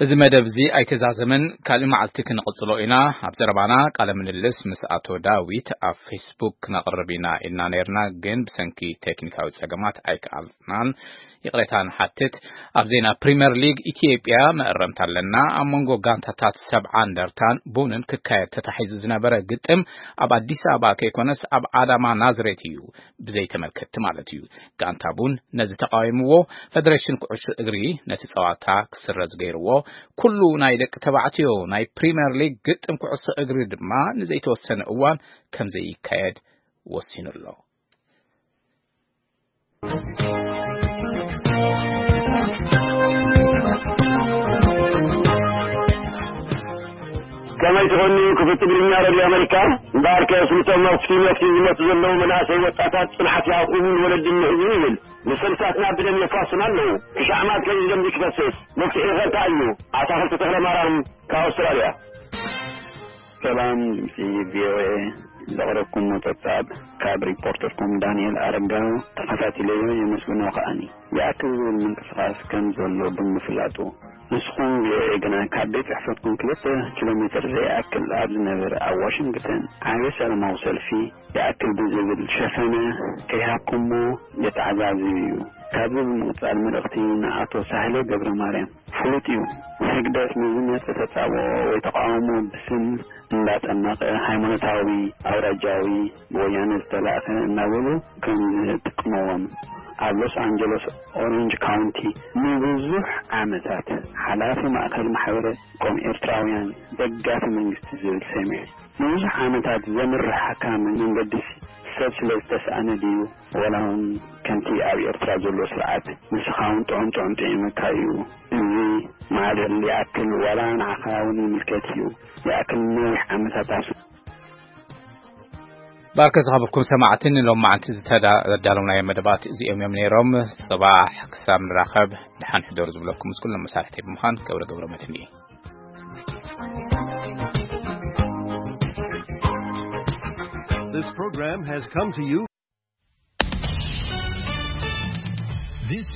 እዚ መደብ እዚ ኣይተዛዘመን፣ ካልእ መዓልቲ ክንቕጽሎ ኢና። ኣብ ዘረባና ቃለ ምልልስ ምስ ኣቶ ዳዊት ኣብ ፌስቡክ ክነቕርብ ኢና ኢልና ነይርና፣ ግን ብሰንኪ ቴክኒካዊ ጸገማት ኣይከኣልናን። ይቕሬታ ንሓትት። ኣብ ዜና ፕሪምየር ሊግ ኢትዮጵያ መእረምታ ኣለና። ኣብ መንጎ ጋንታታት ሰብዓ እንደርታን ቡንን ክካየድ ተታሒዙ ዝነበረ ግጥም ኣብ ኣዲስ ኣበባ ከይኮነስ ኣብ ኣዳማ ናዝሬት እዩ፣ ብዘይ ተመልከትቲ ማለት እዩ። ጋንታ ቡን ነዚ ተቃዊምዎ፣ ፈደሬሽን ኩዕሶ እግሪ ነቲ ጸዋታ ክስረዝ ገይርዎ፣ ኩሉ ናይ ደቂ ተባዕትዮ ናይ ፕሪምየር ሊግ ግጥም ኩዕሶ እግሪ ድማ ንዘይተወሰነ እዋን ከም ዘይካየድ ወሲኑ ኣሎ። ከመይ ትኾኑ ክፍቲ ትግርኛ ረድዮ ኣመሪካ? እምበኣርከ ስምቶም መፍቲ መፍቲ ዝመቱ ዘለዉ መናእሰይ ወጣታት ጽንዓት ይሃብኹም፣ ንወለዲ ምሕዙ ይብል። ንሰልሳትና ብደም የፋስም ኣለዉ። ክሻዕ ማት ከዩ ደም ክፈስስ መፍትሒ ኸ እንታይ እዩ? ኣታኽልቲ ተኽለ ማርያም ካብ ኣውስትራልያ። ሰላም ድምፂ ቪኦኤ፣ ዘቕረብኩሞ ጸብጻብ ካብ ሪፖርተርኩም ዳንኤል ኣረጋዊ ተኸታቲለዮ የመስግኖ ከኣኒ። ይኣክል ዝብል ምንቅስቓስ ከም ዘሎ ብምፍላጡ፣ ንስኹም ቪኦኤ ግና ካብ ቤት ጽሕፈትኩም ክልተ ኪሎ ሜትር ዘይኣክል ኣብ ዝነበረ ኣብ ዋሽንግተን ዓቢ ሰላማዊ ሰልፊ ይኣክል ብዝብል ሸፈነ ከይሃብኩሞ የተዓዛዝብ እዩ። ካብዚ ብምቕጻል መልእኽቲ ንኣቶ ሳህለ ገብረ ማርያም። ፍሉጥ እዩ። ህግደፍ ንዝመጽእ ተጻብኦ ወይ ተቃውሞ ብስም እንዳጠመቐ ሃይማኖታዊ፣ ኣውራጃዊ፣ ብወያነ ዝተላእከ እናበሉ ከም ዝጥቀምዎም ኣብ ሎስ ኣንጀለስ ኦሬንጅ ካውንቲ ንብዙሕ ዓመታት ሓላፊ ማእከል ማሕበረ ኮም ኤርትራውያን ደጋፊ መንግስቲ ዝብል ሰሚዐ። ንብዙሕ ዓመታት ዘምርሓካ መንገዲ ሰብ ስለ ዝተስኣነ ድዩ? ወላ እውን ከምቲ ኣብ ኤርትራ ዘሎ ስርዓት ንስኻ እውን ጥዑም ጥዑም ጥዒመካ እዩ። እዚ ማዕበል ይኣክል ዋላ ንዓኻ እውን ይምልከት እዩ። ይኣክል ነዊሕ ዓመታት ኣስ- ባርከ ዝኸበርኩም ሰማዕቲ ንሎማዓንቲ ዝተዳለውናዮ መደባት እዚኦም እዮም ነይሮም። ጽባሕ ክሳብ ንራኸብ ደሓን ሕደሩ ዝብለኩም ምስ ኩሎም መሳርሕተይ ብምዃን ገብረ ገብረ መድህን እየ። This program has come to you. This